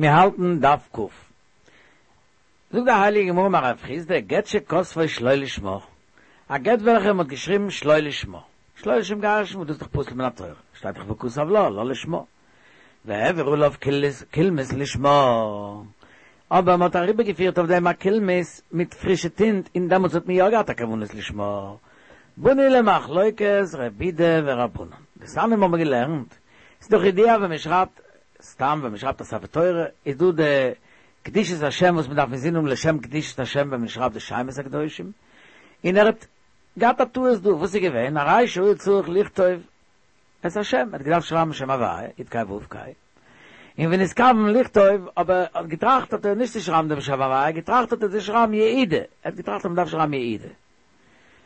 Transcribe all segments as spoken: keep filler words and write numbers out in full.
מיר האלטן דף ק. זאגט די הייליגע גמרא אמר רב חסדא, גט שכתבו שלא לשמה, א גט וועלכע מען האט געשריבן שלא לשמה, שלא לשם גירושין, וואס דאס איז דאך פסול מן התורה, שטייט דאך וכתב לה, לה לשמה, והעביר עליו קולמוס לשמה, אבער מען האט אריבערגעפירט אויף דעם א קולמוס מיט פרישע טינט און דעמאלטס האט מען יא געהאט א כוונת לשמה. באנו למחלוקת רבי יהודה ורבנן. דתניא האבן מיר געלערנט, ס'איז דאך ידוע ווען מען שרייבט סתם ווען מען שרייבט א ספר תורה איז דא די קדושת השם וואס מען דארף אינזין האבן לשם קדושת השם ווען מען שרייבט די שמות הקדושים, און ער האט געהאט א טעות דא, וואס איז געווען, הרי שהיה צריך לכתוב את השם, ער האט געדארפט שרייבן שם הוויה, יוד קיי וואו קיי, און ונתכוון לכתוב, אבער ער האט געטראכט האט ער נישט צו שרייבן דעם שם הוויה, געטראכט האט ער צו שרייבן יהודה, ער האט געטראכט אז מען דארף שרייבן יהודה.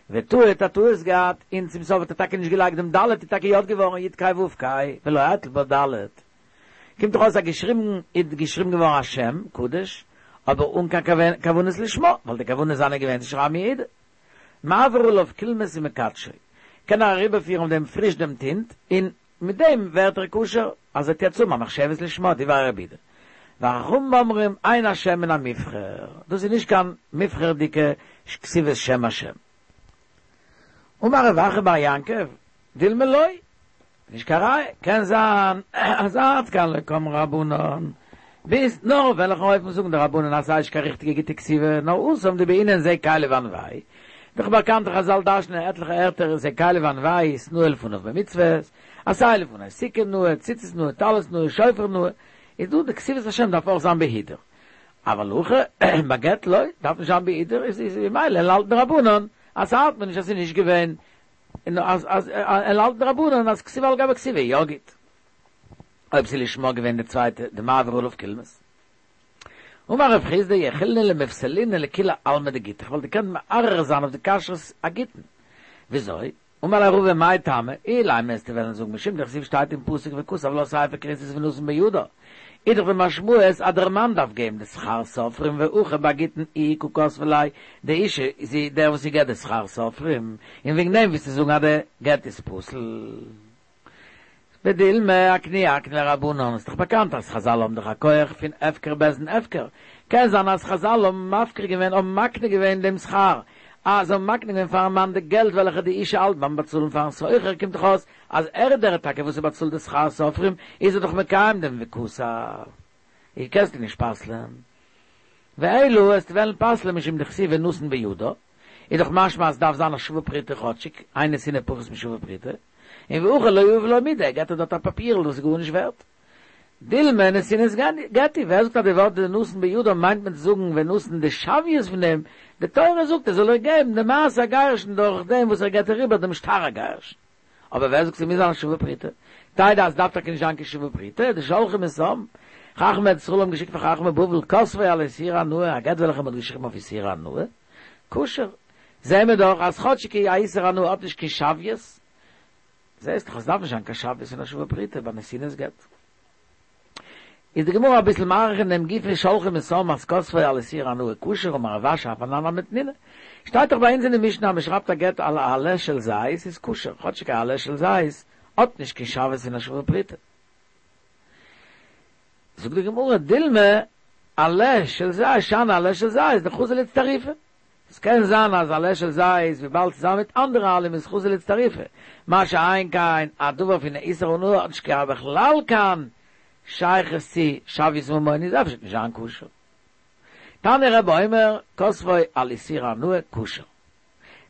וטעה האט א טעות געהאט, און צום סוף האט ער טאקע נישט געלייגט דעם ד', איז טאקע יא געווארן יוד קיי וואו קיי, ולא הטיל בה ד'. קומט דאך אויס אז געשריבן איז געשריבן געווארן א שם קדוש, אבער אן קיין כוונת לשמה, ווייל די כוונה זיינע איז געווען צו שרייבן יהודה. מעביר עליו קולמוס ומקדשו, קען ער אריבערפירן אויף דעם פריש דעם טינט, און מיט דעם ווערט ער כשר, אז ער וועט יעצט האבן א מחשבת לשמה, דברי רבי יהודה. וחכמים אומרים אין השם מן המובחר, דאס איז נישט קיין מובחר'דיגע כתיבת שם השם. אמר רב אחא בר יעקב, דילמא לא, נישט קיין ראיה, קען זיין אז עד כאן לא קאמרי רבנן, ביז נאר אויף וועלכן אופן זאגן די רבנן אז ס'איז נישט קיין ריכטיגע גוטע כתיבה, נאר התם דבעינן זה קלי ואנוהו, דאך באקאנט חזל דרש'נען אין עטליכע ערטער זה קלי ואנוהו התנאה לפניו במצוות, עשה לפני סוכה נאה, ציצית נאה, טלית נאה, שופר נאה, איז דא די כתיבת השם דארף אויך זיין בהידור. אבל הכא ביי גט לא, דארף נישט זיין בהידור, איז איז ממילא האלטן די רבנן אז ס'האלט מען נישט אז ס'איז נישט געווען, און אז אז האלטן די רבנן אז כתיבה על גבי כתיבה איז יא גוט. אויב ס'איז לשמה געווען די צווייטע די מעביר עליו קולמוס. אמר רב חסדא יכילנא למפסלינהו לכולי עלמא דגיטא, איך וואלט געקענט מערער זיין אויף די כשרות הגיטין. וויאזוי? אמר ליה רבא מאי טעמא, אילימא וועסטו וועלן זאגן משום דכתיב שטייט אין פסוק וכתב לה ספר כריתות ונתן בידה, איז דאך די משמעות אז דער מאן דארף געבן די שכר סופרים והכא ביי גיטין איהי קא כתבה ליה, די אישה איז זי דער וואס זי געבט די שכר סופרים, און וועגן דעם ווילסטו זאגן אז די גט איז פסול. ודילמא אקנויי אקני ליה רבנן, איז דאך באקאנט אז חזל האבן דאך א כח פון הפקר בית דין הפקר, קען זיין אז חזל האבן מפקיר געווען האבן מקנה געווען דעם שכר, אז זיי האבן מקנה געווען פארן מאן די געלט וועלכע די אישה האלט ביים באצאלן פארן סוחר, קומט דאך אויס אז ער איז דער טאקע וואס ער באצאלט די שכר סופרים, איז ער דאך מקיים דעם וכתב, איז קענסטו נישט פסל'ען. ואלא וועסטו וועלן פסל'ען משום דכתיב ונתן בידה, איז דאך משמע אז ס'דארף זיין א שווה פרוטה כאטשיג, אין נתינה פחות משווה פרוטה, און והכא לא יהיב לה מידי, ער געט איר דארט א פאפירל וואס איז גארנישט ווערט. דילמא נתינת גט היא, ווער זאגט אז די ווארט ונתן בידה מיינט מען צו זאגן ונתן די שוויות פון דעם, די תורה זאגט ער זאל איר געבן די מעשה הגירושין דורך דעם וואס ער געט איר איבער דעם שטר הגירושין. אבער ווער זאגט ס'מוז זיין א שווה פרוטה? תדע אז ס'דארף טאקע נישט זיין קיין שווה פרוטה, דשלחו משם. חכמי ארץ ישראל האבן געשיקט פאר חכמי בבל כתבו על איסורי הנאה, א גט וועלכע מ'האט געשריבן אויף איסורי הנאה, כשר. זעהן מיר דאך אז כאטשיג א איסור הנאה האט נישט קיין שוויות, זעהסט דאך אז ס'דארף נישט זיין קיין שוויות פון א שווה פרוטה ביי נתינת גט. איז די גמרא אביסל מאריך אין דעם גופא שלחו משם אז כתבו על איסורי הנאה כשר אמר רב אשי אף אנן נמי תנינא. שטייט דאך ביי אונז אין די משנה אז מ'שרייבט א גט על עלה של זית איז כשר, כאטשיג א עלה של זית האט נישט קיין שוויות פון א שווה פרוטה. זאגט די גמרא דילמא עלה של זית שאני עלה של זית דחזי לאיצטרופי. עס קען זיין אז עלה של זית וויבאלד צוזאמען מיט אנדערע עלים איז חזי לאיצטרופי, מה שאין כן א דבר פון איסור הנאה האט נישט קיין בכלל קיין שייכות צו שוויות ממון איז אפשר נישט זיין כשר. תניא רבי אומר כתבו על איסור הנאה כשר.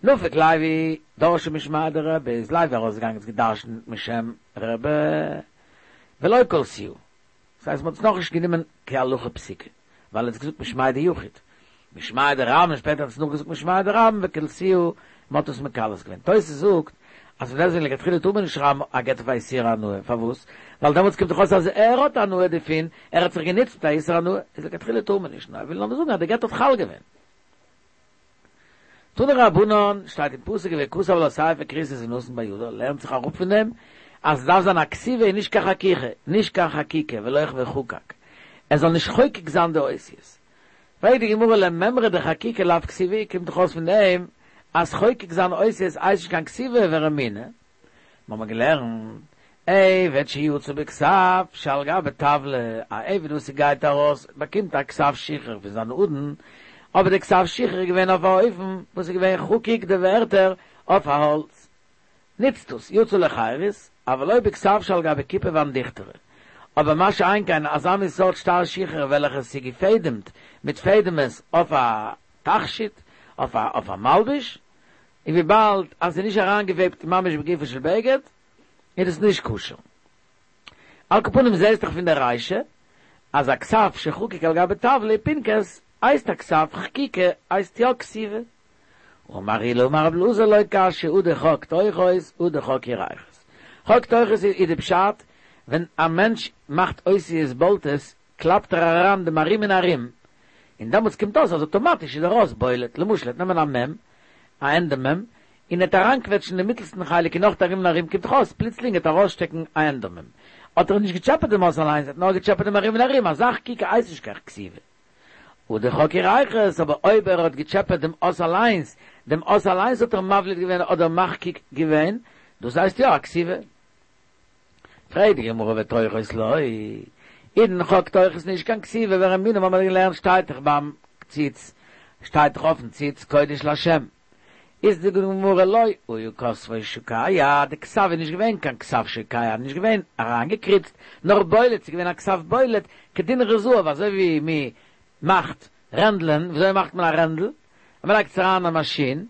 נפק לוי דרשה משמיה דרבי איז לוי ארויסגעגאנגען האט געדרשנט משם רבי ולא קלסוה. דאס הייסט מ'האט עס נאכנישט גענומען כהלכה פסוקה, ווייל ער האט עס געזאגט משמיה דיחיד, משמיה דרבים, שפעטער האט עס נאכגעזאגט משמיה דרבים וקלסוה, מ'האט עס מקלס געווען. תוס' זאגט אז פון דעסטוועגן לכתחילה טאר מען נישט שרייבן א גט אויף א איסור הנאה, פארוואס? ווייל דעמאלטס קומט דאך אויס אז ער האט הנאה דערפון, ער האט זיך גענוצט מיט א איסור הנאה, איז לכתחילה טאר מען נישט, נאר ער וויל נאר זאגן אז די גט האט חל געווען. תנו רבנן, שטייט אין פסוק וכתב לה ספר כריתות ונתן בידה, לערנט זיך אראפ פון דעם אז עס דארף זיין א כתיבה און נישט קיין חקיכה, נישט קיין חקיקה, ולא וחקק, ער זאל נישט חוקק זיין די אותיות. פרעגט די גמרא למימרא דחקיקה לאו כתיבה, קומט דאך אויס פון דעם אז חוקק זיין אותיות הייסט נישט קיין כתיבה ורמינהי, מיר האבן געלערנט עבד שיצא בכתב שעל גבי טבלא, א עבד וואס ס'גייט ארויס באקומט א כתב שחרור פון זיין אדון, אבער די כתב שחרור איז געווען אויף א אופן וואס איז געווען חקוק די ווערטער אויף א האלץ, נוצט דאס יצא לחירות, אבל לא בכתב שעל גבי כיפה ואנדיכטרא. אבער מה שאין כן אזא מין סארט שטר שחרור וועלכע ס'איז געפעדעמט מיט פעדעמעס אויף א תכשיט, אויף א אויף א מלבוש, און וויבאלד אז ס'איז נישט אריינגעוועבט ממש בגופו של בגד, איז דאס נישט כשר. על כל פנים זעהסט דאך פון די רישא אז א כתב שחקוק על גבי טבלא ופנקס הייסט א כתב חקיקה הייסט יא כתיבה. אמר עולא אמר רבי אלעזר לא קשיא הא דחק תוכות הא דחק ירכות. חק תוכות איז די פשט ווען א מענטש מאכט אותיות בולטות קלאפט ער אריין דעם ארום און ארום און דעמאלטס קומט אויס אז אטאמאטיש איז דער אות בולט, למשל ער וועט נעמען א מ', א ענדע מ', און ער וועט אריינקוועטשן דעם מיטלסטן חלק און נאך ארום און ארום קומט דאך אויס פלוצלינג וועט ארויסשטעקן א ענדע מ'. האט ער נישט געטשעפעט דעם אות אליינס, ער האט נאר געטשעפעט דעם ארום און ארום, אזא חקיקה הייסט נישט קיין כתיבה. הא דחק ירכות, אבער אויב ער האט געטשעפעט דעם אות אליינס, דעם אות אליינס האט ער מבליט געווען אדער מחקיק געווען, דאס הייסט יא א כתיבה. פרעגט די גמרא ותוכות לא, איז דען חק תוכות נישט קיין כתיבה ורמינהו האבן מיר געלערנט שטייט דאך ביים ציץ, שטייט דאך אויפן ציץ קודש לה'. איז זאגט די גמרא לא היה כתבו שוקע, די כתב איז נישט געווען קיין כתב שוקע, נישט געווען אריינגעקריצט, נאר בולט, ס'איז געווען א כתב בולט, כדינרי זהב, אזוי ווי מען מאכט רענדלען, ווי אזוי מאכט מען א רענדל? מען לייגט עס אריין אין א מאשין,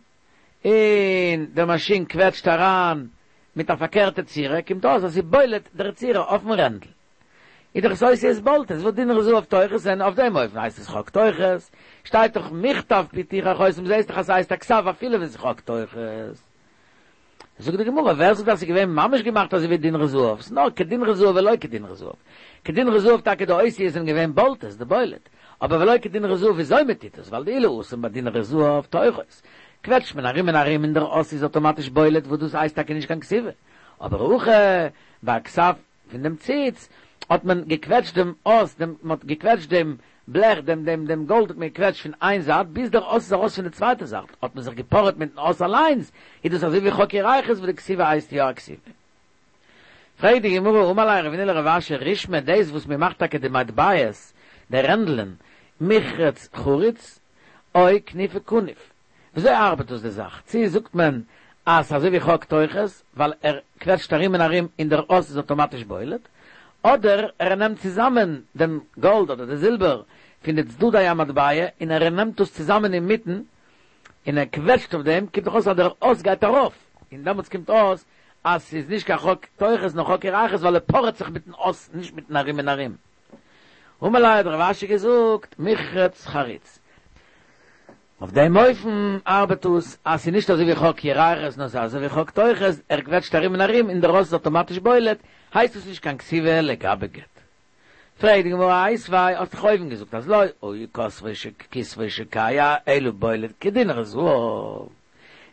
און דער מאשין קוועטשט אריין מיט א פארקערטע צורה, קומט אויס אז ס'איז בולט דער צורה אויפן רענדל. איז דאך עס אותיות בולטות, וואס דינרי זהב תוכות און אויף דעם אופן הייסט עס חק תוכות, שטייט דאך מכתב פי תוכל חותם זעהסט דאך אז ס'הייסט א כתב אפילו ווען ס'איז חק תוכות. זאגט די גמרא, ווער זאגט אז ס'איז געווען ממש געמאכט אזוי ווי דינרי זהב, ס'איז נאר כדינרי זהב ולא כדינרי זהב. כדינרי זהב טאקע די אותיות זענען געווען בולטות, די בולט, אבער ולא כדינרי זהב וויאזוי מ'טוט עס, ווייל דאילו התם ביי דינרי זהב תוכות, קוועטשט מען ארום און ארום און דער אות איז אטאמאטיש בולט וואס דאס הייסט טאקע נישט קיין כתיבה, אבער הכא ביי א כתב פון דעם ציץ האט מען געקוועטשט דעם אות, דעם, מען האט געקוועטשט דעם בלעך, דעם, דעם, דעם גאלד האט מען געקוועטשט פון איין זייט ביז דער אות איז ארויס פון די צווייטע זייט, האט מען זיך געפארעט מיטן אות אליינס, איז דאס אזוי ווי חק ירכות וואס די כתיבה הייסט יא א כתיבה. פרעגט די גמרא, אמר ליה רבינא לרב אשי, רישמא, דאס וואס מען מאכט טאקע די מטבעות, די רענדלען, מיחרץ חריץ, או כנופי כנוף, וויאזוי ארבעט דאס די זאך? צו זאגט מען אז ס'אזוי ווי חק תוכות ווייל ער קוועטשט ארום און ארום און דער אות איז אטאמאטיש בולט, אדער ער נעמט צוזאמען דעם גאלד אדער די זילבער פון די צדדי המטבע און ער נעמט דאס צוזאמען אינמיטן און ער קוועטשט אויף דעם, קומט דאך אויס אז דער אות גייט ארויף, און דעמאלטס קומט אויס אז ס'איז נישט קיין חק תוכות נאר חק ירכות ווייל ער פארעט זיך מיטן אות נישט מיטן ארום און ארום. אמר ליה האט רב אשי געזאגט מיחרץ חריץ. אויף דעם אופן ארבעט עס אז ס'איז נישט אזוי ווי חק ירכות נאר ס'איז אזוי ווי חק תוכות, ער קוועטשט ארום און ארום און דער אות איז אטאמאטיש בולט, הייסט עס נישט קיין כתיבה לגבי גט. פרעגט די גמרא איתיביה, האסט דאך אויבן געזאגט אז לא היה כתבו כתבו שוקע אלא בולט כדינרי זהב,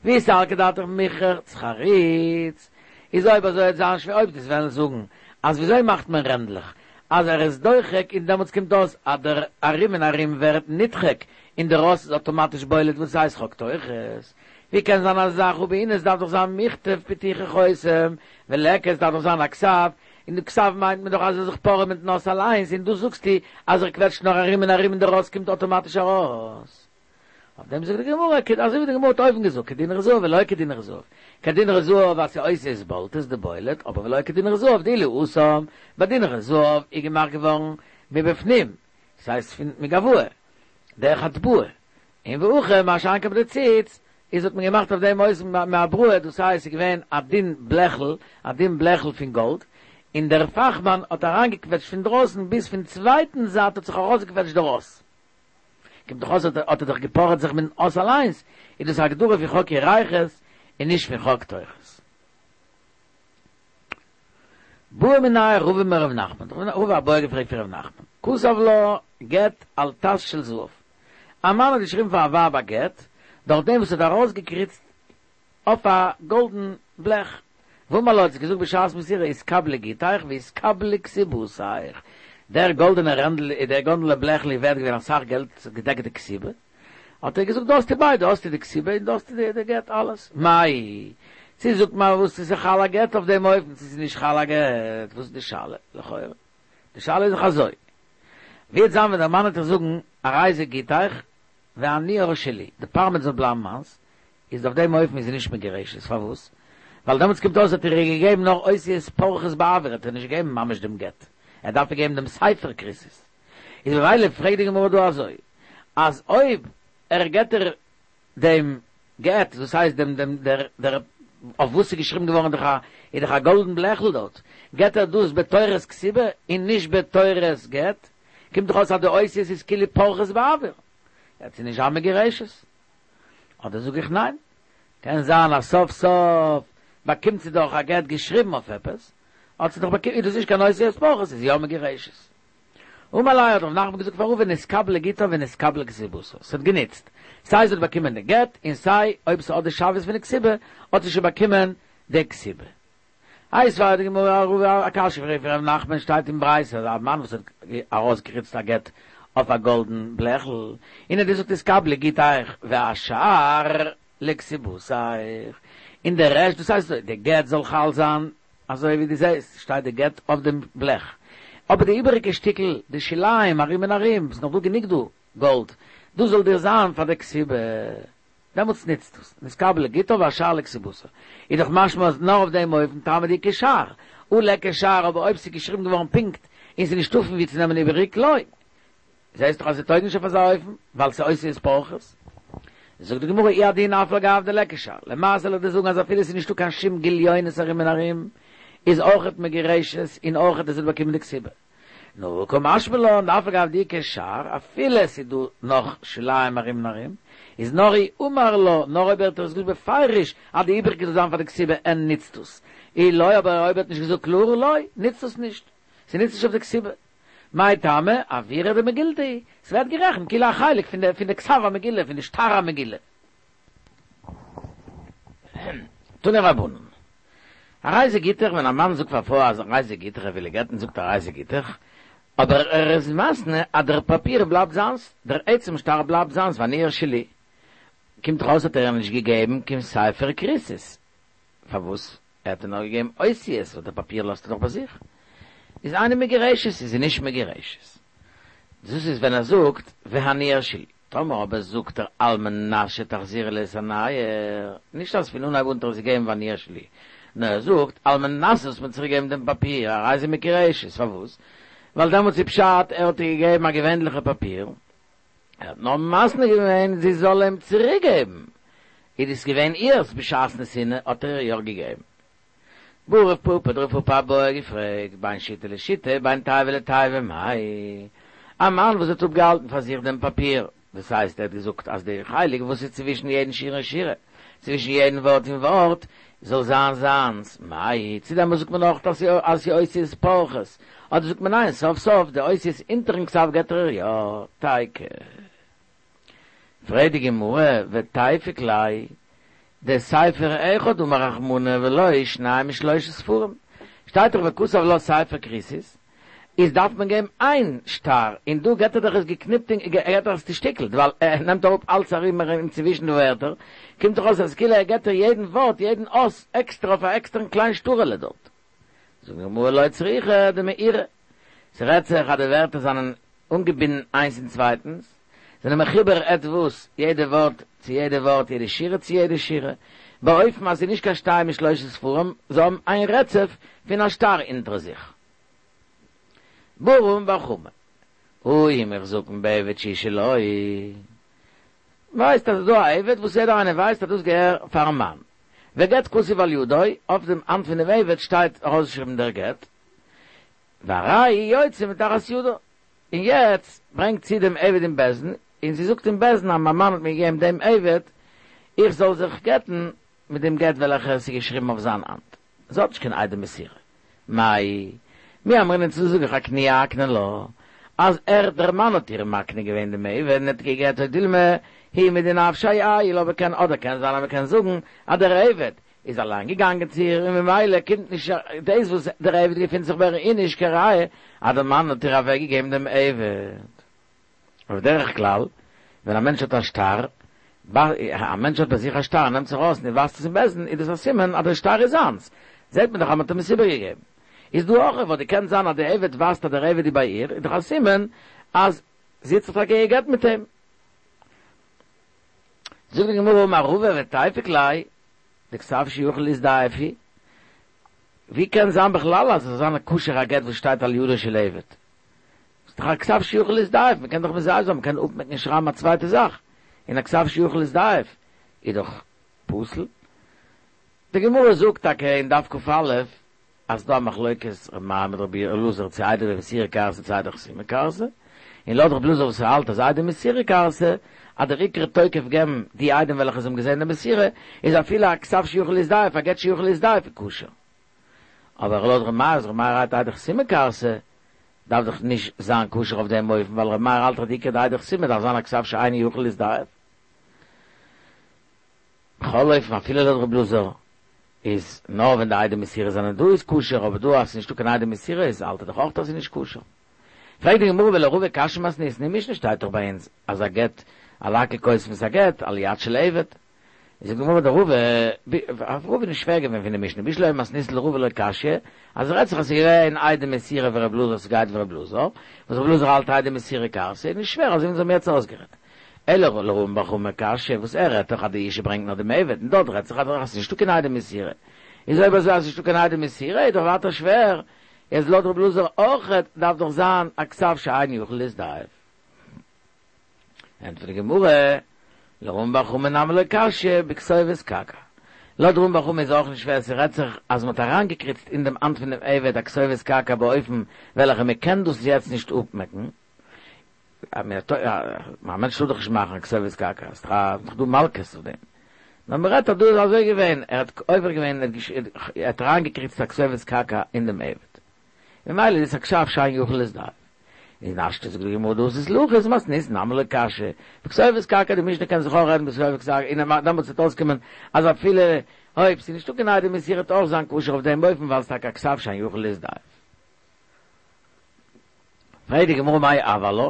ואי סלקא דעתך מיחרץ חריץ, איז אויב אזוי וועט זיין שווער אויב דו'סט וועלן זאגן אז וויאזוי מאכט מען רענדלעך אז ער איז דוחק און דעמאלטס קומט אויס אז דער ארום און ארום ווערט נדחק און דער אות איז אטאמאטיש בולט וואס הייסט חק תוכות, ווי קען זיין אזא זאך הא בעינן עס דארף דאך זיין מכתב פי תוכל חותם וליכא עס דארף דאך זיין א כתב און די כתב מיינט מען דאך אז ער זיך פארעט מיטן אות אליינס און דא זאגסטו אז ער קוועטשט נאר ארום און ארום און דער אות קומט אטאמאטיש ארויס. אויף דעם זאגט די גמרא, אזוי ווי די גמרא האט אויבן געזאגט, כדינרי זהב ולא כדינרי זהב, כדינרי זהב אז ס'אותיות בולטות דבולט, אבער ולא כדינרי זהב דאילו התם, ביי דינרי זהב איז געמאכט געווארן מבפנים, ס'הייסט פון מגבוה, דרך הטבעה, און והכא מה שאין כן ביי די ציץ, איז האט מען געמאכט אויף דעם אופן מאבראי, דאס הייסט ס'איז געווען א דין בלעכל, א דין בלעכל פון גאלד, און דער פאכמאן האט אריינגעקוועטשט פון דרויסן ביז פון צווייטן זייט האט זיך ארויסגעקוועטשט דער אות. קומט דאך אויס האט ער דאך געפארעט זיך מיטן אות אליינס, איז דאס א הגדרה פון חק ירכות און נישט פון חק תוכות. בעא מיניה רבא מרב נחמן, האט רבא א בעיא געפרעגט פון רב נחמן, כתב לה גט על טס של זהב, א מאן האט געשריבן פאר א ווייב א גט, דורך דעם וואס ער האט ארויסגעקריצט אויף א גאלדן בלעך. ואמר לה האט זי געזאגט בשעת מסירה התקבלי גיטיך והתקבלי כתובתיך, דער גאלדענער רענדל דער גאלדענער בלעכל איז ווערט געווען אסאך געלט, עס האט געדעקט די כתובה, האט ער געזאגט דא האסטו ביידע, דא האסטו די כתובה און דא האסטו די גט אלעס, מהו, צי זאגט מען וואס איז חל א גט אויף דעם אופן, צי ס'איז נישט חל א גט, וואס איז די שאלה? לכאורה. די שאלה איז דאך אזוי. ווי וועט זיין ווען דער מאן וועט איר זאגן, הרי זה גיטך, והנייר שלי, די פארמעט זאל בלייבן מיינס, איז אויף דעם אופן איז זי נישט מגורשת, פארוואס? ווייל דעמאלטס קומט אויס האט ער איר געגעבן נאר אותיות פורחות באוויר, האט ער נישט געגעבן ממש דעם גט, ער דארף איר געבן דעם ספר כריתות. איז ממילא פרעגט די גמרא דא אזוי, אז אויב ער געט איר דעם גט, דאס הייסט דעם דעם דער דער אויף וואס ס'איז געשריבן געווארן דאך א איז דאך א גאלדן בלעכל דארט, געט ער דאס בתורת כתובה און נישט בתורת גט, קומט דאך אויס אז די אותיות איז כאילו פורחות באוויר, וועט זי נישט זיין מגורשת. אדער זאג איך ניין, קען זיין אז סוף סוף באקומט זי דאך א גט געשריבן אויף עפעס, האט זי דאך באקומען, איז דאס נישט קיין אותיות פורחות, איז יא מגורשת. אמר ליה האט רב נחמן געזאגט פאר רבא נתקבלה גיטה ונתקבלה כתובתה, ס'האט גענוצט, סיי זי האט באקומען די גט, און סיי אויב ס'האט די שוויות פון די כתובה, האט זי שוין באקומען די כתובה. איתיביה די גמרא רבא א קשיא פרעגט פון רב נחמן שטייט אין ברייתא אז א מאן וואס האט ארויסגעקריצט א גט אויף א גאלדן בלעכל און ער האט געזאגט התקבלי גיטך והשאר לכתובתיך און די רעשט דאס הייסט די גט זאל חל זיין אזוי ווי דו זעסט שטייט די גט אויף דעם בלעך אבער די איבעריגע שטיקל די שוליים ארום און ארום ס'איז נאך דא גענוג דא גאלד דאס זאל דיר זיין פאר די כתובה. דעמאלטס נוצט עס, נתקבלה גיטה והשאר לכתובתה. איז דאך משמע אז נאר אויף דעם אופן טעמא דאיכא שער, הא ליכא שער אבער אויב ס'איז געשריבן געווארן פונקט און ס'איז נישטא פון וואו צו נעמען איבעריג לא. זעסט דאך אז ס'טויג נישט אויף אזא אופן, ווייל ס'איז אותיות פורחות. זאגט די גמרא הוא הדין אף על גב דליכא שער, למעשה זאל איך דיר זאגן אז אפילו ס'איז נישטא קיין שום גליונות ארום און ארום, איז אויכעט מגורשת און אויכעט עס וועט באקומען די כתובה. נו, קא משמע לן דאף על גב דאיכא שער, אפילו עס איז דא נאך שוליים ארום און ארום, איז נאר אי אמר לה, נאר אויב ער האט עס געזאגט בפירוש אז די איבריגע זאל זיין פאר די כתובה און נוצט עס, אי לא, אבער אויב ער האט נישט געזאגט קלאר לא, נוצט עס נישט, ס'נוצט נישט אויף די כתובה. מאי טעמא, אוירא דמגילתא הוא, ס'ווערט גערעכנט כאילו א חלק פון די פון די כתב המגילה, פון די שטר המגילה. תנו רבנן. הרי זה גיטך ווען א מאן זאגט פאר א פרוי אז הרי זה גיטך ער וויל איר גט'ן זאגט ער הרי זה גיטך, אבער ער איז מתנה אז דער פאפיר בלייבט זיינס, דער עצם שטר בלייבט זיינס והנייר שלי. קומט דאך אויס האט ער איר נישט געגעבן קיין ספר כריתות. פארוואס? ער האט איר נאר געגעבן אותיות וואס דער פאפיר לאזט ער דאך ביי זיך. איז אינה מגורשת איז זי נישט מגורשת. דאס איז ווען ער זאגט והנייר שלי. טאמער אבער זאגט ער על מנת שתחזירי לי את הנייר, נישט אז פון אנהייב אן האט ער עס געגעבן והנייר שלי, נאר ער זאגט על מנת זאלסט מיר צוריק געבן דעם פאפיר, הרי זו מגורשת, פארוואס? ווייל דעמאלטס איז פשט ער האט איר געגעבן א געווענליכע פאפיר, ער האט נאר מתנה געווען זי זאל אים צוריק געבן, איז דאס געווען אירס בשעת נתינה האט ער איר יא געגעבן. בעי רב פפא האט רב פפא א בעיא געפרעגט, בין שיטה לשיטה בין תיבה לתיבה מאי, א מאן וואס האט אפגעהאלטן פאר זיך דעם פאפיר, דאס הייסט ער האט געזאגט אז די חלק וואס איז צווישן יעדן שורה און שורה, צווישן יעדן ווארט און ווארט, זאל זיין זיינס, מאי, צו דעמאלס זאגט מען נאך אז ס'איז אותיות פורחות, אדער זאגט מען ניין, סוף סוף די אותיות אונטערן כתב געט ער יא, תיקו. פרעגט די גמרא, ותיפוק ליה, דספר אחד אמר רחמנא ולא שניים ושלושה ספרים, שטייט דאך וכתב לה ספר כריתות, איז דארף מען געבן איין שטר, און דא געט ער דאך עס געקניפט און ער געט דאך עס צושטיקלט, ווייל ער נעמט אראפ אלץ ארום ארום צווישן די ווערטער, קומט דאך אויס אז כאילו ער געט איר יעדן ווארט, יעדן אות, עקסטער אויף א עקסטערן קליין שטר'עלע דארט. זאגט די גמרא לא צריכא דמעורה, ס'רעדט זיך אז די ווערטער זענען אנגעבינדן איינס אין צווייטנס, זענען מחובר עטוואס, יעדע ווארט צו יעדע ווארט, יעדע שורה צו יעדע שורה, באופן אז ס'איז נישט קיין שתיים ושלושה ספרים, זיי האבן איין רצף פון א שטר אונטער זיך. בעי רמי בר חמא, הא הוא מוחזקין בעבד שהוא שלו, מ'ווייסט אז ס'איז דא א עבד וואס יעדער איינער ווייסט אז דאס געהער פארן מאן, וגט כתוב על ידו, אויף דעם האנט פון דעם עבד שטייט ארויסגעשריבן דער גט, והרי הוא יוצא מתחת ידה, און יעצט ברענגט זי דעם עבד אין בית דין, און זי זאגט אין בית דין אז מיין מאן האט מיר געגעבן דעם עבד, איך זאל זיך גט'ן מיט דעם גט וועלכער עס איז געשריבן אויף זיין האנט. זי האט נישט קיין עדי מסירה. מאי, מי אמרינן צו זאג איך אקנויי אקני לה, אז ער דער מאן האט איר מקנה געווען דעם עבד און האט גע'גט או דילמא הוא מדנפשיה עייל אבער קען אדער קען זיין אז מען קען זאגן אז דער עבד איז אליין געגאנגען צו איר און ממילא קומט נישט דאס וואס דער עבד געפינט זיך ביי איר איז נישט קיין ראיה אז דער מאן האט איר אוועק געגעבן דעם עבד. ובדרך כלל ווען א מענטש האט א שטר א מענטש האט ביי זיך א שטר, נעמט זיך ארויס און ווייזט עס אין בית דין, איז דאס א סימן אז דער שטר איז זיינס. זעט מען דאך אז מען האט אים עס איבערגעגעבן. איז דא אויך וואלט געקענט זיין אז דער עבד ווייזט אז דער עבד איז ביי איר, איז דאך א סימן אז זי האט זיך טאקע גע'גט מיט אים. זאגט די גמרא אמר רבא ותיפוק ליה, דכתב שיכול להזדייף הוא, ווי קען זיין בכלל אז עס זאל זיין א כשר א גט וואס שטייט על ידו של עבד? ס'איז דאך א כתב שיכול להזדייף, מ'קען דאך מזייף זיין, מ'קען אפמעקן און שרייבן א צווייטע זאך, און א כתב שיכול להזדייף איז דאך פסול. די גמרא זאגט טאקע אין דף כ"א אז ס'דא א מחלוקת ר' מאיר מיט רבי אלעזר צו עדי מסירה כרתי צו עדי חתימה כרתי, און לויט רבי אלעזר וואס ער האלט אז עדי מסירה כרתי אז דער עיקר תוקף געבן די עדים וועלכע זיי האבן געזען די מסירה איז אפילו א כתב שיכול להזדייף א גט שיכול להזדייף איז כשר. אבער לויט ר' מאיר אז ר' מאיר האלט עדי חתימה כרתי דארף דאך נישט זיין כשר אויף דעם אופן ווייל ר' מאיר האלט דאך די עיקר די עדי חתימה דארף זיין א כתב שאינו יכול להזדייף. בכל אופן אפילו לויט ר' אלעזר איז נאר ווען די עדי מסירה זענען דא איז כשר אבער דא אז ס'איז נישטא קיין עדי מסירה איז האלט ער דאך אויך אז ס'איז נישט כשר. פרעגט די גמרא ולרבא קשיא מתניתין אין משנה שטייט דאך ביי אונז אז א גט על הכל כותבין את הגט על יד של עבד. איז זאגט די גמרא דרבא אויף רבא איז נישט שווער געווען פון די משנה בשלמא מתניתין לרבא לא קשיא אז עס רעדט זיך אז ס'איז געווען עדי מסירה ור' אלעזר ס'גייט ווי ר' אלעזר וואס ר' אלעזר האלט עדי מסירה כרתי איז נישט שווער אזוי ווי אונז האבן יעצט אויסגערעדט אלא לרמי בר חמא קשיא וואס ער רעדט דאך אז די אישה ברענגט נאר דעם עבד און דארט רעדט זיך אז ס'איז נישטא קיין עדי מסירה איז אויב אזוי אז ס'איז נישטא קיין עדי מסירה איז דאך ווייטער שווער איז לויט ר' אלעזר אויכעט דארף דאך זיין א כתב שאין יכול להזדייף. ענטפערט די גמרא, לרמי בר חמא נמי לא קשיא בכתובת קרקע. לויט רמי בר חמא איז אויך נישט שווער, ס'רעדט זיך אז מ'האט אריינגעקריצט אין דעם האנט פון דעם עבד א כתובת קרקע באופן וועלכע מ'קען דאס יעצט נישט אפמעקן, א מענטש טאר דאך נישט מאכן א כתובת קרקע, ס'איז דאך דא מלקות אויף דעם. נאר מ'רעדט אז דא איז אזוי געווען, ער האט עובר געווען, ער האט אריינגעקריצט א כתובת קרקע אין דעם עבד. ממילא איז עס א כתב שאין יכול להזדייף. איז השתא זאגט די גמרא דאס איז להכעיס מתניתין נמי לא קשיא, בכתובת קרקע די משנה קען זיך אויך רעדן בכתובת קרקע און דעמאלטס וועט אויסקומען אז אפילו אויב ס'איז נישטא קיין עדי מסירה וועט אויך זיין כשר אויף דעם אופן ווייל ס'איז טאקע א כתב שאין יכול להזדייף. פרעגט די גמרא מאי הוי עלה,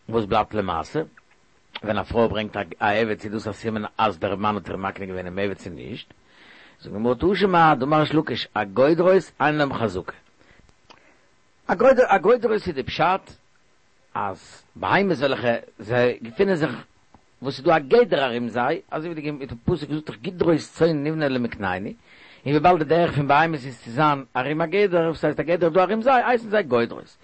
וואס בלייבט למעשה ווען א פרוי ברענגט א עבד צו דאס א סימן אז דער מאן האט איר מקנה געווען דעם עבד צו נישט? זאגט די גמרא תא שמע דאמר ריש לקיש הגודרות אין להם חזקה. הגודרות איז די פשט אז בהמות וועלכע זיי געפינען זיך וואס ס'איז דא א גדר ארום זיי, אזוי ווי די פסוק זאגט דאך גדרות צאן נבנה למקננו, און וויבאלד די דרך פון בהמות איז צו זיין ארום א גדר, וואס הייסט א גדר איז דא ארום זיי, הייסן זיי גודרות.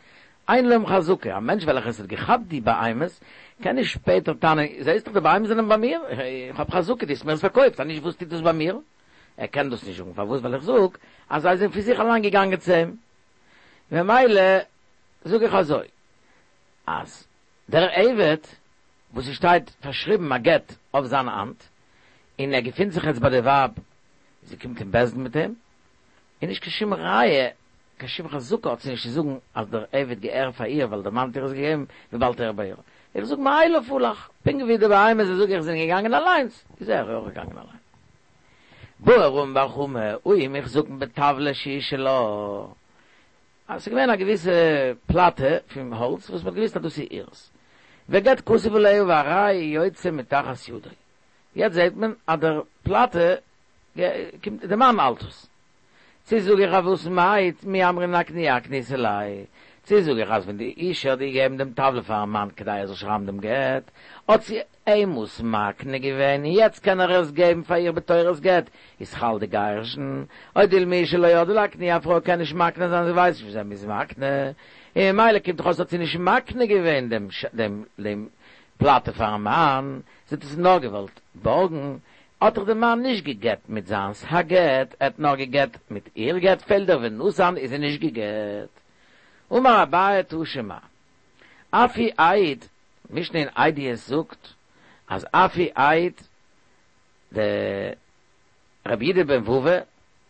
אין להם חזקה, א מענטש וועלכער עס האט געכאפט די בהמות, קען נישט שפעטער טענה'ן, זעסט דאך די בהמות זענען ביי מיר, איך האב חזקה, דו האסט מיר עס פארקויפט, אז נישט וואס טוט דאס ביי מיר? ער קען דאס נישט זאגן, פארוואס? ווייל איך זאג אז זיי זענען פון זיך אליין געגאנגען צו אים. ממילא זאג איך אזוי, אז דער עבד וואס עס שטייט פארשריבן א גט אויף זיין האנט, און ער געפינט זיך יעצט ביי די ווייב, זי קומט אין בית דין מיט אים, איז נישט קיין שום ראיה, קיין שום חזקה האט זי נישט צו זאגן אז דער עבד געהער פאר איר ווייל דער מאן האט איר עס געגעבן וויבאלד ער איז ביי איר. איך זאג מאליו הלך, פונקט ווי די בהמות זאג איך זענען געגאנגען אליינס, איז ער אויך געגאנגען אליין. בעי רמי בר חמא, ההוא מוחזקין בטבלא שהיא שלה. אז ס'איז געווען א געוויסע פלאטע פון האלץ וואס מ'האט געוויסט אז דאס איז אירס. וגט כתוב עליה והרי היא יוצאה מתחת ידו. יעצט זעט מען אז דער פלאטע קומט, די מאן האלט עס. צו זאג איך אז וואס מאי מי אמרינן אקנויי אקניתה ליה, צו זאג איך אז ווען די אישה האט געגעבן דעם טבלא פארן מאן כדי ער זאל שרייבן דעם גט, האט זי אים עס מקנה געווען און יעצט קען ער עס געבן פאר איר בתורת גט, איז חל די גירושין, או דילמא אשה לא ידעה לאקנויי א פרוי קען נישט מקנה זיין זי ווייסט נישט וויאזוי מ'איז מקנה, און ממילא קומט דאך אויס האט זי נישט מקנה געווען דעם דעם פלאטע פארן מאן, זי האט עס נאר געוואלט בארגן, האט דאך דער מאן נישט גע'גט מיט זיינס א גט, ער האט נאר גע'גט מיט איר גט, פעלט דער ונתן איז זי נישט גע'גט. אמר אביי תא שמע, אף הוא העיד, משנה אין עדיות זאגט אז אף הוא העיד דרבי יהודה בן בבא,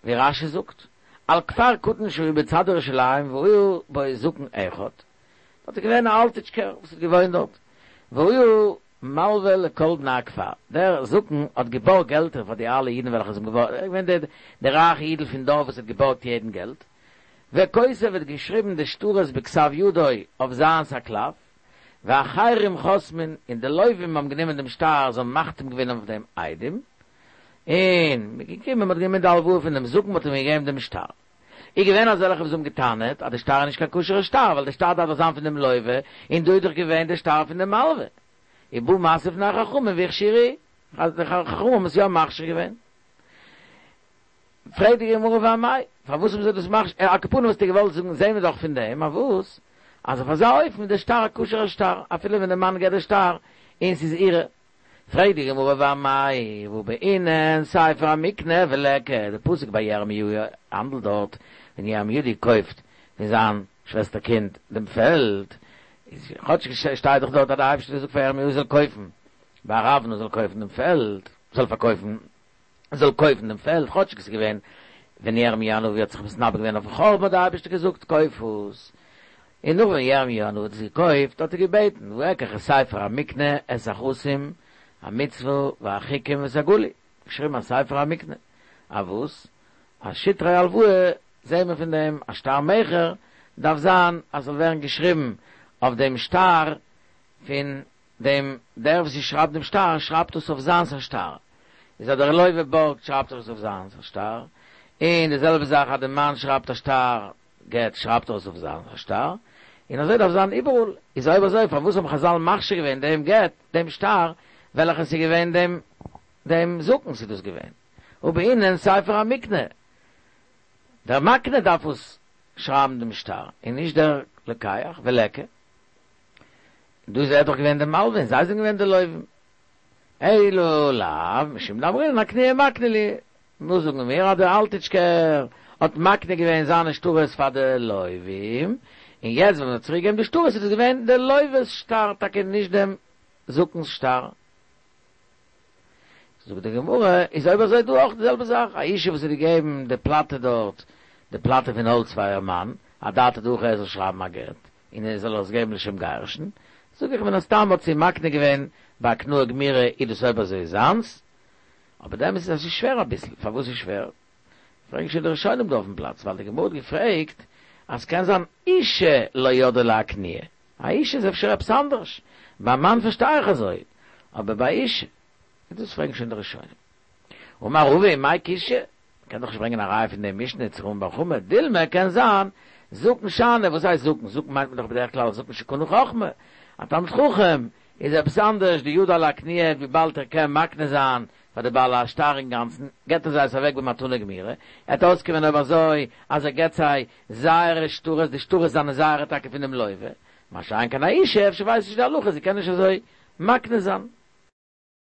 ווי רש"י זאגט, על כפר קטן שהיה בצד ירושלים והיה בו זקן אחד, דארט איז געווען א אלטיטשקער וואס האט געוואוינט דארט, והיה מלווה לכל בני הכפר, דער זקן האט געבארגט געלטער פאר די אלע אידן וועלכע זענען געווארן, ער איז געווען דער דער רייכע אידל פון דארף וואס האט געבארגט יעדן געלט, וכותב האט געשריבן די שטרות בכתב ידו אויף זיינס א קלף, ואחרים חותמין, און די לווים האבן גענומען דעם שטר, זיי האבן מחתים געווען אויף דעם עדים, און מ'איז געקומען, מ'האט גענומען די הלוואה פון דעם זקן, מ'האט אים געגעבן דעם שטר. איז געווען אזעלכע וואס האבן געטענה'ט אז די שטר איז נישט קיין כשר'ע שטר, ווייל די שטר דארף דאך זיין פון דעם לווה, און דא איז דאך געווען די שטר פון דעם מלווה. איז בא מתנה לפני חכמים והכשירו, די חכמים האבן עס יא מכשיר געווען. פרעגט די גמרא ואמאי, פארוואס האבן זיי דאס מכשיר, על כל פנים וואלסטו געוואלט זאגן זעהן מיר דאך פון דעם אז וואס? אז אויף אזא אופן איז די שטר א כשר'ע שטר, אפילו ווען די מאן געבט די שטר און ס'איז אירע. פרעגט די גמרא ואמאי, והא בעינן ספר המקנה וליכא, די פסוק ביי ירמיהו האנדלט דארט ווען ירמיהו האט געקויפט פון זיין שוועסטער קינד דעם פעלד, איז כאטש שטייט דאך דארט אז די אייבערשטער האט געזאגט פאר ירמיהו זאל קויפן ביי ארוונה זאל קויפן דעם פעלד, זאל פארקויפן, זאל קויפן דעם פעלד, כאטש עס איז געווען ווען ירמיהו הנביא האט זיך מתנבא געווען אויפן חורבן האט דער אייבערשטער געזאגט קויף עס, און נאך ווען ירמיהו הנביא האט עס געקויפט האט ער געבעטן ואקח את ספר המקנה את החתום המצוה והחוקים ואת הגלוי, געשריבן א ספר המקנה, א וואס? אז שטרי הלוואה זעהן מיר פון דעם א שטר מכר דארף זיין אז ס'זאל ווערן געשריבן אויף דעם שטר פון דעם דער וואס שרייבט דעם שטר שרייבט עס אויף זיינס א שטר, איז אז דער לווה בארגט שרייבט ער עס אויף זיינס א שטר, און די זעלבע זאך אז דער מאן שרייבט א שטר גט שרייבט ער עס אויף זיינס א שטר, און אזוי דארף זיין איבעראל, איז אויב אזוי פארוואס האבן חזל מכשיר געווען דעם גט, דעם שטר, וועלכע ס'איז געווען דעם דעם זקן'ס איז דאס געווען, והא בעינן ספר המקנה, דער מקנה דארף עס שרייבן דעם שטר, און נישט דער לוקח, וליכא. דא איז ער דאך געווען דער מלווה און זיי זענען געווען די לווים. אלא לאו משום דאמרינן אכנועי מקני להו. וואס זאגן מיר אז דער אלטיטשקער האט מקנה געווען זיינע שטרות פאר די לווים, און יעצט ווען מען האט צוריק געגעבן די שטרות איז דאס געווען די לווה'ס שטר טאקע נישט דעם זקן'ס שטר. זאגט די גמרא, איז אויב אזוי דא אויך די זעלבע זאך, א אישה וואס האט געגעבן די פלאטע דארט, די פלאטע פון האלץ פאר איר מאן, אדעתא דהכי ער זאל שרייבן א גט, און ער זאל עס געבן לשם גירושין, זאג איך מן הסתם האט זי מקנה געווען בהקנאה גמירה איז דאס אויב אזוי זיינס, אבער די אמת איז אז ס'איז שווער אביסל, פארוואס איז שווער? פרעגן שוין די ראשונים דא אויפן פלאץ, ווייל די גמרא האט געפרעגט אז ס'קען זיין אישה לא ידעה לאכנועי, א אישה איז אפשר עפעס אנדערש, ביי א מאן פארשטיי איך אזוי, אבער ביי אישה, דאס פרעגן שוין די ראשונים. אמר רבא מאי קושיא, מ'קען דאך נישט ברענגען א ראיה פון די משנה צו רמי בר חמא, דילמא קען זיין זקן שאני, וואס הייסט זקן? זקן מיינט מען דאך בדרך כלל זקן שקנה חכמה, א תלמיד חכם איז עפעס אנדערש, דידע לאכנועי וויבאלד ער קען מקנה זיין פאר די בעל השטר אינגאנצן, געט ער זיי עס אוועק במתנה גמירה, עט אויסקומען אויב אזוי אז ער געט זיי זייערע שטרות, די שטרות זענען זייערע טאקע פונעם לווה, מה שאין כן א אישה אפשר ווייסט נישט די הלכה זי קען נישט אזוי מקנה זיין.